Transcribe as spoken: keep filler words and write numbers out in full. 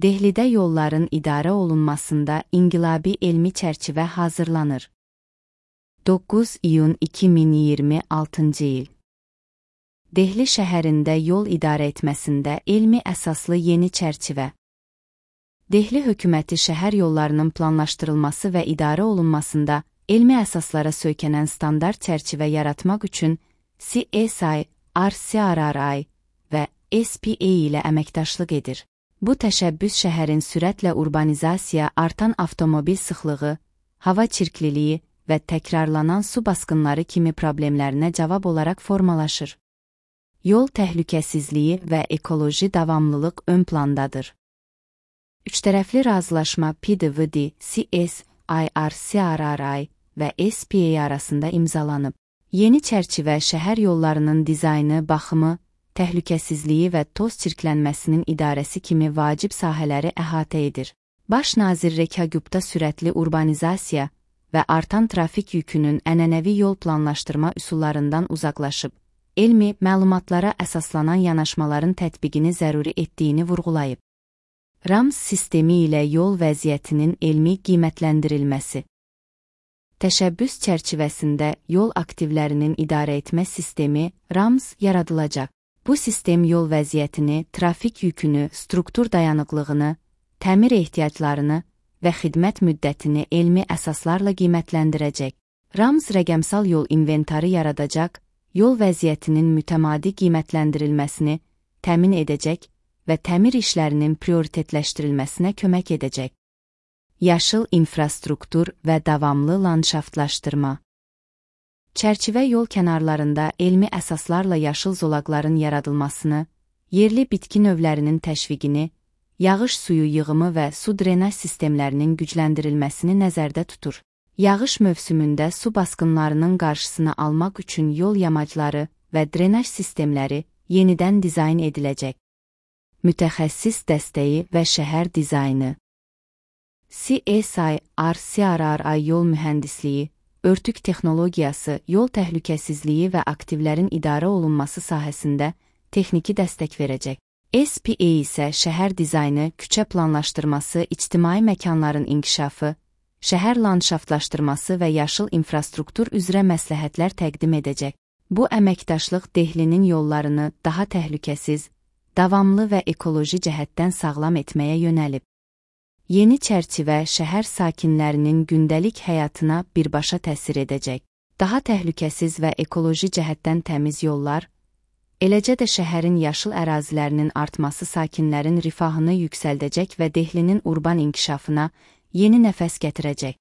Dehlidə yolların idarə olunmasında inqilabi elmi çərçivə hazırlanır. doqquz iyun iki min iyirmi altıncı il. Dehli şəhərində yol idarə etməsində elmi əsaslı yeni çərçivə. Dehli hökuməti şəhər yollarının planlaşdırılması və idarə olunmasında elmi əsaslara söykənən standart çərçivə yaratmaq üçün C S I, R C R R I və S P A ilə əməkdaşlıq edir. Bu təşəbbüs şəhərin sürətlə urbanizasiya, artan avtomobil sıxlığı, hava çirkliliyi və təkrarlanan su basqınları kimi problemlərinə cavab olaraq formalaşır. Yol təhlükəsizliyi və ekoloji davamlılıq ön plandadır. Üçtərəfli razılaşma P D V D, C S I, R C R R I və S P A arasında imzalanıb. Yeni çərçivə şəhər yollarının dizaynı, baxımı, təhlükəsizliyi və toz çirklənməsinin idarəsi kimi vacib sahələri əhatə edir. Baş nazir Rekha Gupta sürətli urbanizasiya və artan trafik yükünün ənənəvi yol planlaşdırma üsullarından uzaqlaşıb, elmi məlumatlara əsaslanan yanaşmaların tətbiqini zəruri etdiyini vurğulayıb. RAMS sistemi ilə yol vəziyyətinin elmi qiymətləndirilməsi. Təşəbbüs çərçivəsində yol aktivlərinin idarə etmə sistemi RAMS yaradılacaq. Bu sistem yol vəziyyətini, trafik yükünü, struktur dayanıqlığını, təmir ehtiyaclarını və xidmət müddətini elmi əsaslarla qiymətləndirəcək. RAMS rəqəmsal yol inventarı yaradacaq, yol vəziyyətinin mütəmadi qiymətləndirilməsini təmin edəcək və təmir işlərinin prioritetləşdirilməsinə kömək edəcək. Yaşıl infrastruktur və davamlı landşaftlaşdırma. Çərçivə yol kənarlarında elmi əsaslarla yaşıl zolaqların yaradılmasını, yerli bitki növlərinin təşviqini, yağış suyu yığımı və su drenaj sistemlərinin gücləndirilməsini nəzərdə tutur. Yağış mövsümündə su basqınlarının qarşısını almaq üçün yol yamacları və drenaj sistemləri yenidən dizayn ediləcək. Mütəxəssis dəstəyi və şəhər dizaynı. C S I, R C R R I yol mühəndisliyi, örtük texnologiyası, yol təhlükəsizliyi və aktivlərin idarə olunması sahəsində texniki dəstək verəcək. S P A isə şəhər dizaynı, küçə planlaşdırması, ictimai məkanların inkişafı, şəhər landşaftlaşdırması və yaşıl infrastruktur üzrə məsləhətlər təqdim edəcək. Bu əməkdaşlıq Dehlinin yollarını daha təhlükəsiz, davamlı və ekoloji cəhətdən sağlam etməyə yönəlib. Yeni çərçivə şəhər sakinlərinin gündəlik həyatına birbaşa təsir edəcək. Daha təhlükəsiz və ekoloji cəhətdən təmiz yollar, eləcə də şəhərin yaşıl ərazilərinin artması sakinlərin rifahını yüksəldəcək və Dehlinin urban inkişafına yeni nəfəs gətirəcək.